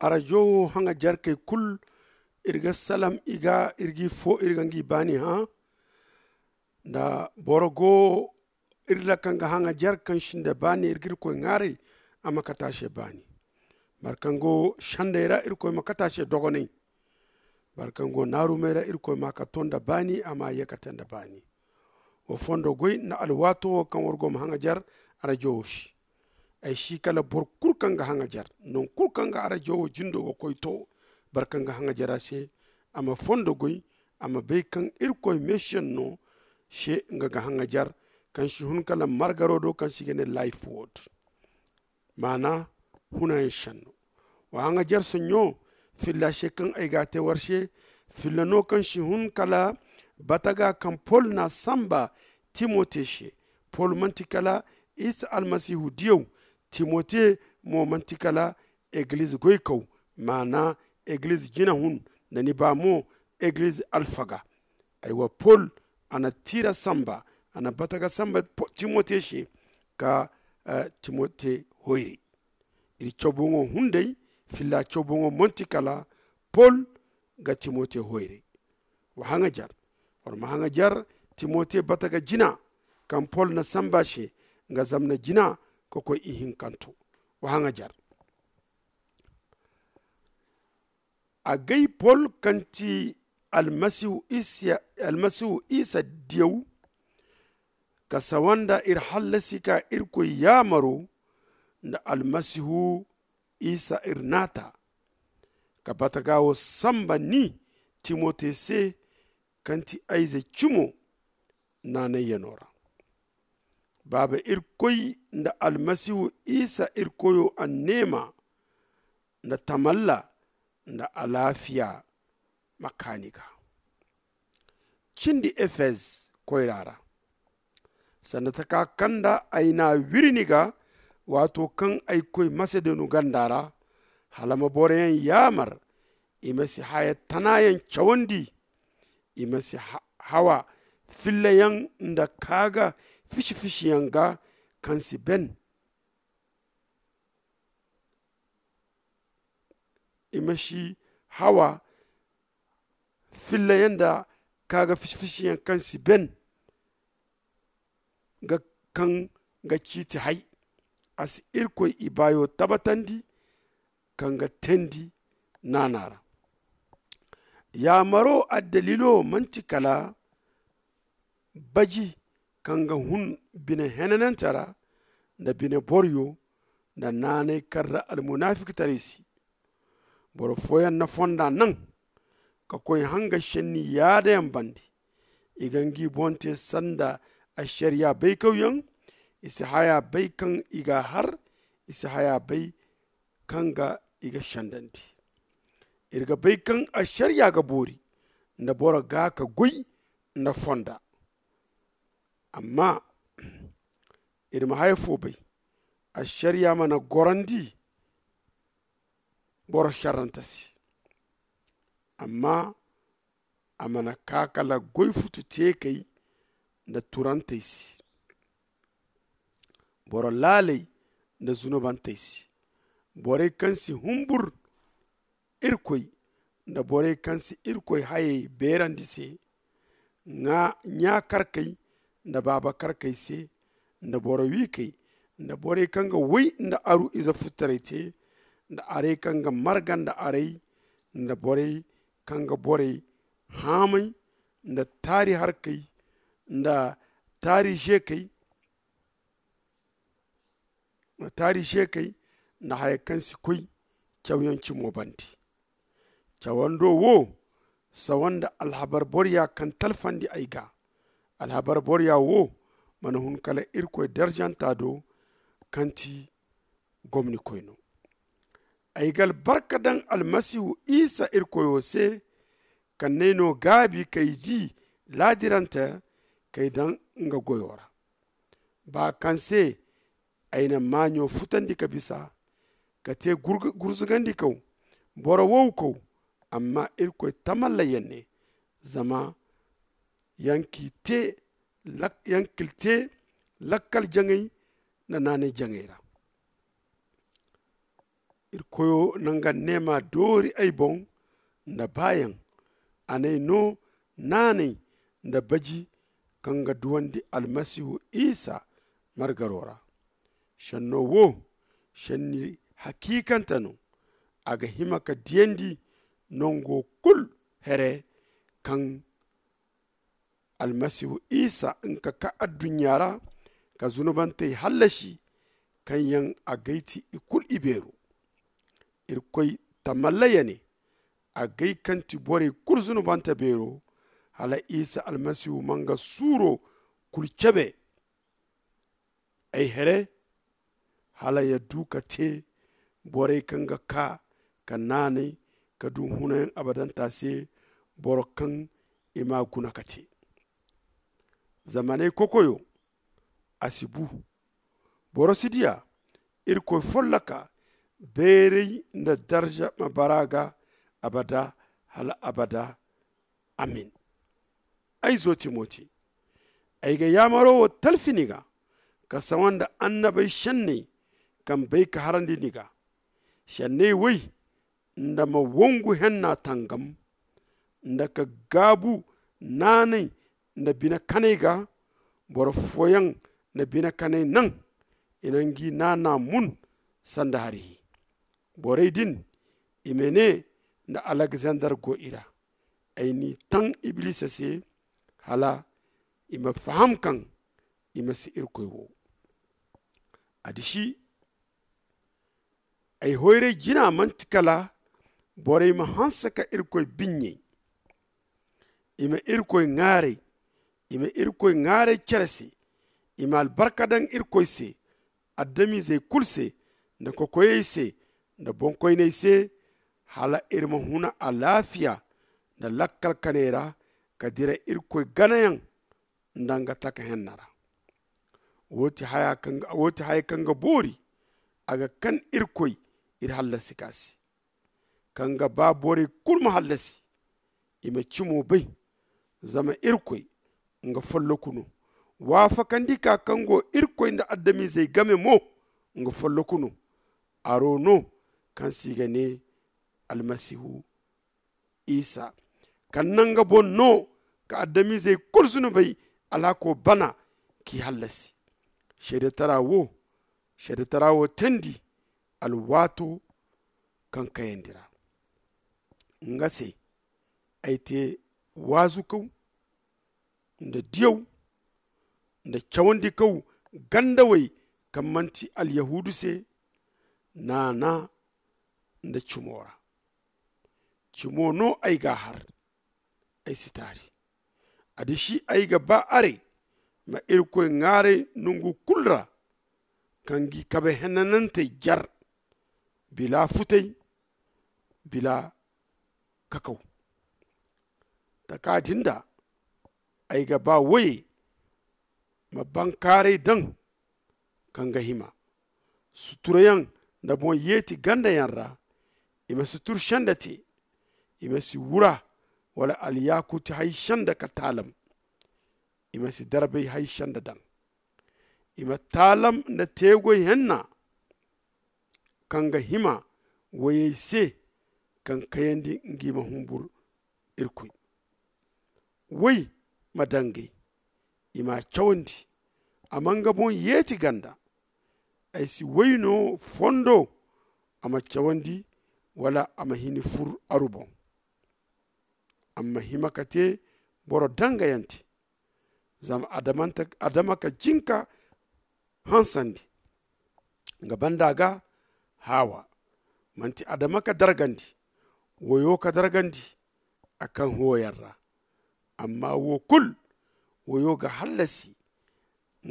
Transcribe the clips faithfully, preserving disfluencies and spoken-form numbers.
Arajo wo haŋajarkey kulu, iri ga salam i ga, iri g'i fo iri ga ngi baani hã. Nda boro go iri ra kaŋ ga haŋajar kaŋ si nda baani, iri ga irkoy ŋwaaray a ma kate a se baani. Boro kaŋ go sendey ra, irkoy ma kate a se dogonay. Boro kaŋ go naarumey ra, irkoy ma a kato nda baani, a ma a ye kate nda baani. Wa fondo goy nda alwaato wo kaŋ war go ma haŋajar arajo wo se. Ay si kala boro kulu kaŋ ga haŋajar, nangu kulu kaŋ ga arajo wo jindo ga koy to, boro kaŋ ga haŋajar a se, a ma fondo goy, a ma bay kaŋ irkoy meesiyaŋ no se nga ga haŋajar, kaŋ si hun kala margaro do kaŋ se i ga ne life word. Maana, hunayaŋ senno. Wa haŋajar sonɲo, filla se kaŋ ay ga a te war se, filla no kaŋ si hun kala bataga kaŋ pol n'a samba timote se. Pol manti kala isa almasihu diyaw, timote mo manti kala egiliz goykaw, maana, egiliz jinahun, nda ni ba mo, egiliz alfaga. Aywa, pol, a na tiira samba, a na bataga samba timote se, ka timote hoyray. Iri cawboŋo hunday, filla cawboŋo manti kala pol ga timote hoyray. Wa haŋajar, war ma haŋajar timote bataga jina kaŋ pol na samba se, nga zamna jina ka koy ihinkanto. Wa haŋajar. Agay pol kaŋ ti almasihu isa diyaw, ka sawa nda iri hallasi ka irkoy yaamaro nda almasihu isa iri naata, ka bataga wo samba ni timote se, kaŋ ti ayze cimo naanayyano ra. Baaba irkoy nda almasihu isa irkoyo anneema nda tamalla nda alaafiya ma kaa ni ga. Cindi efez koyra ra, sanda taka kaŋ nda ay n'a wiri ni ga, waato kaŋ ay koy masedonu ganda ra, hala ma boroyaŋ yaamar i ma si haya tanayaŋ cawandi, i ma si hawa fillayaŋ nda kaaga fisi-fisiyaŋ ga kaŋ si ben. I ma si hawa fillayaŋ nda kaaga fisi-fisiyaŋ kaŋ si ben, ga kaŋ ga ciiti hay. A si irkoy ibaayo tabatandi kaŋ ga teendi naana ra. Yaamaro addaliilo manti kala baji kaŋ ga hun bine henanante ra, nda bine boroyo, nda naanay kaŋ ra almunafikitaray si. Boro fooyaŋ na fonda naŋ ka koy hanga senni yaadayaŋ bande. I ga ngi boŋ te sanda ašariya baykawyaŋ. I si haya bay kaŋ i g'a har. I si haya bay kaŋ ga i ga sendandi. Iri ga bay kaŋ ašariya ga boori nda boro ga ka goy nda fonda. Amma iri ma haya fo bay, ašariya mana gorandi boro šerrante se, amma a mana ka kala goy futu teekey nda turantey se, boro laaley nda zunubantey se, borey kaŋ si humbur irkoy nda borey kaŋ si irkoy hayey beerandi se, ɲa-karkey nda baaba-karkey se, nda boro wiikey, nda borey kaŋ ga way nda aru ize futtaray te, nda arey kaŋ ga marga nda arey, nda borey kaŋ ga borey haamay, nda taari harkey, nda taari zeekey, taari zeekey, nda haya kaŋ si koy cawyaŋ cimo bande. Cawando wo sawa nda alhabar boroya kaŋ talfandi ay ga. Alhabar boroya wo mana hun kala Irkoy darjanta do, kaŋ ti gomnikoy no. Ay ga albarka daŋ Almasihu Isa Irkoyo se, kaŋ n'ay no gaabi k'ay di laadirante k'ay daŋ nga goyo ra. Ba kaŋ se ay na maaɲo futandi ka bisa, ka te gurzugandikaw, boro wowkow, amma Irkoy tamallayaŋ ne, zama yaŋ k'i te lakkal jaŋay nda naanay jaŋay ra. Iri koyo na nga neema doori ay boŋ nda baayaŋ. A n'ay no naanay nda baji kaŋ ga duwandi almasihu isa margaro ra. Senno wo senni hakiikante no. A ga hima ka diyandi nango kulu here kaŋ almasihu isa nga ka kaa adduɲɲa ra ka zunubantey hallasi, kaŋ yaŋ a gay ti i kulu ibeero. Irkoy tamalla ya ne, a gay kaŋ ti borey kulu zunubante beero. Hala isa almasihu ma nga suuro kulu cebe ay here, hala ya du ka te borey kaŋ ga kaa ka naanay ka du hunayaŋ abadanta se, boro kaŋ i m'a guna ka te. Zamaney kokoyo a si bu. Boro si diya. Irkoy folloka beeray nda darza ma bara ga abada hala abada. Amin. Ay zo timote, ay ga yaamaro wo talfi ni ga ka sawa nda annabey senney kaŋ bay ka harandi ni ga. Senney woy nda ma wongu henna tangam nda ka gaabu naanay nda bine kanay ga. Boro fooyaŋ na bine kanay naŋ i na ngi naana mun sanda hari hi. Borey din imene nda alexander go i ra. Ay n'i taŋ iblisa se hala i ma faham kaŋ i ma si irkoy wo. A disi ay hoyray jina manti kala borey ma hanse ka irkoy biɲɲey. I ma irkoy ŋaaray. I ma irkoy ŋaaray cere se. I ma albarka daŋ irkoy se, adamizey kulu se, nda kokoyey se, nda boŋkoyney se, hala iri ma huna alaafiya nda lakkal kanay ra ka dira irkoy ganayaŋ nda nga taka henna ra. Wo ti haya kaŋ ga boori. A ga kan irkoy iri hallasi ka se, kaŋ ga ba borey kulu ma hallasi. I ma cimo bay. Zama irkoy nga folloku no. Waafakandi ka kaŋ go irkoy nda adamizey game mo nga folloku no. Aro no kaŋ se i ga ne almasihu isa, kaŋ naŋ nga boŋ no ka adamizey kulu zunubey alhako bana k'i hallasi. Seedetara wo seedetara wo teendi alwaato kaŋ kayandi ra. Nga se ay te waazukaw nda diyaw nda cawandikaw gandawey kaŋ manti alyahuudu se naana nda cimo ra. Cimo no ay g'a har. Ay si taari. A disi ay ga ba aray ma irkoy ŋaaray nongu kulu ra kaŋ g'i kabe henanantey jar bila futay bila kakaw. Taka din da ay ga ba woye ma bankaaray daŋ kaŋ ga hima suturayaŋ nda boŋ yeeti gandayaŋ ra. I ma si tur senda te. I ma si wura wala alyakuti hay senda ka taalam. I ma si darbay hay senda daŋ. I ma taalam nda teegoy henna kaŋ ga hima woyey se kaŋ kayandi ngi ma humbur irkoy. Woy ma dangay i m'a cawandi. A ma nga boŋ yeeti ganda. Ay si woy no fondo a ma cawandi wala a ma hini fur aru boŋ. A ma hima ka te boro dangayante. Zama adama ka jinka hansandi nga banda ga hawa. Manti adama ka dargandi woyo ka dargandi a kaŋ hooyaŋ ra. Amma wo kulu woyo ga hallasi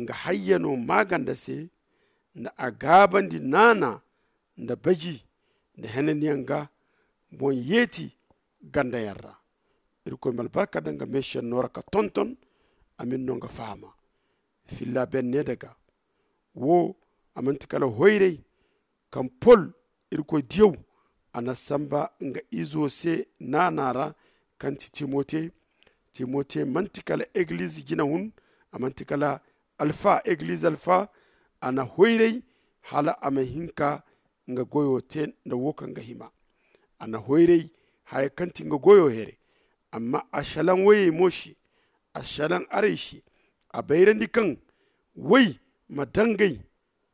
nga hayyano maaganda se nda a gaabandi naana nda baji nda henaniyaŋ ga boŋ yeeti gandayaŋ ra. Irkoy ma albarka daŋ nga meesenno ra ka tonton a m'iri no nga fahama. Filla benne daga wo a manti kala hoyray kaŋ pol irkoy diyaw a na samba nga izo se naana ra kaŋ ti timote. Timote manti kala egiliz jina hun a manti kala alfa egiliz alfa. A na hoyray hala a ma hin ka nga goyo te nda wo kaŋ ga hima. A na hoyray haya kaŋ ti nga goyo here. Amma a shalaŋ woyey mo se. A shalaŋ arey se. A bayrandi kaŋ woy ma dangay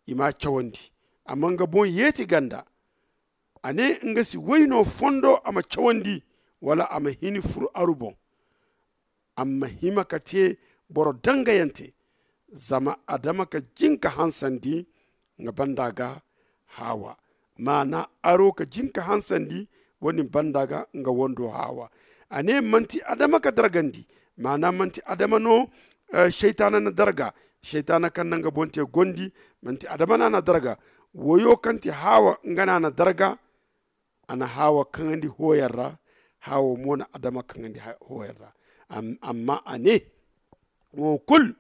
i m'a cawandi. Amma nga boŋ yeeti ganda. A ne nga si woy no fondo a ma cawandi wala a ma hini furu aru boŋ. Amma hima ka te boro dangayante. Zama adama ka jinka hansandi nga banda ga hawa. Maana aro ka jinka hansandi wani banda ga nga wando hawa. A ne manti adama ka dargandi. Maana manti adama no shaytaana na darga. Shaytaana kaŋ na nga boŋ te gondi manti adama no a na darga. Woyo kaŋ ti hawa nga no a na darga. A na hawa kaŋandi hoyar ra. Hawa mo na adama kaŋandi hoyar ra. Amma a ne wo kulu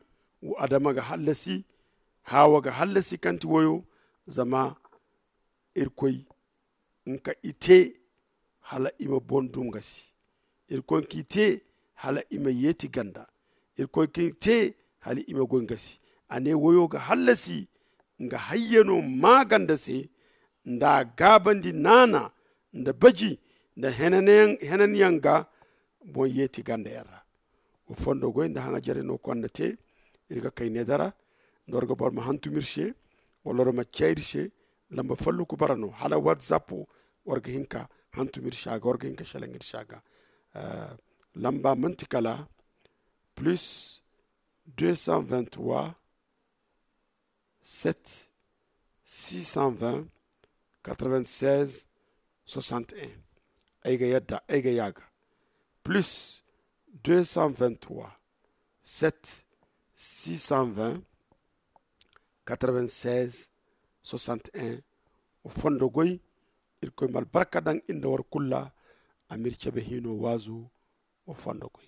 adama ga hallasi. Hawa ga hallasi kaŋ ti woyo. Zama irkoy nka i te hala i ma boŋ dum ga si. Irkoy nka i te hala i ma yeeti ganda. Irkoy nka i te hala i ma goy ga si. A ne woyo ga hallasi nga hayyano ma ganda se nda a gaabandi naana nda baji nda henanyaŋ ga boŋ yeeti ganda yaŋ ra. Wa fondo goy nda haŋa jare no konda te. Iri ga kay ne dara nda war ga boro ma hantum iri se wala war ma cay iri se. Lamba folloku bara no hala whatsapp war ga hinka hantum iri se a ga war ga hinka shalaŋ iri se a ga. Lamba manti kala plus deux cent vingt trois sept six cent vingt quatre vingt seize soixante et un. Ay ga yadda ay ga yaaga plus deux cent vingt trois sept six cent vingt quatre vingt seize soixante et un. O fondo goy. Irkoy ma albarka daŋ inda war kulla. A ma iri cabe hino waazu. O fondo goy.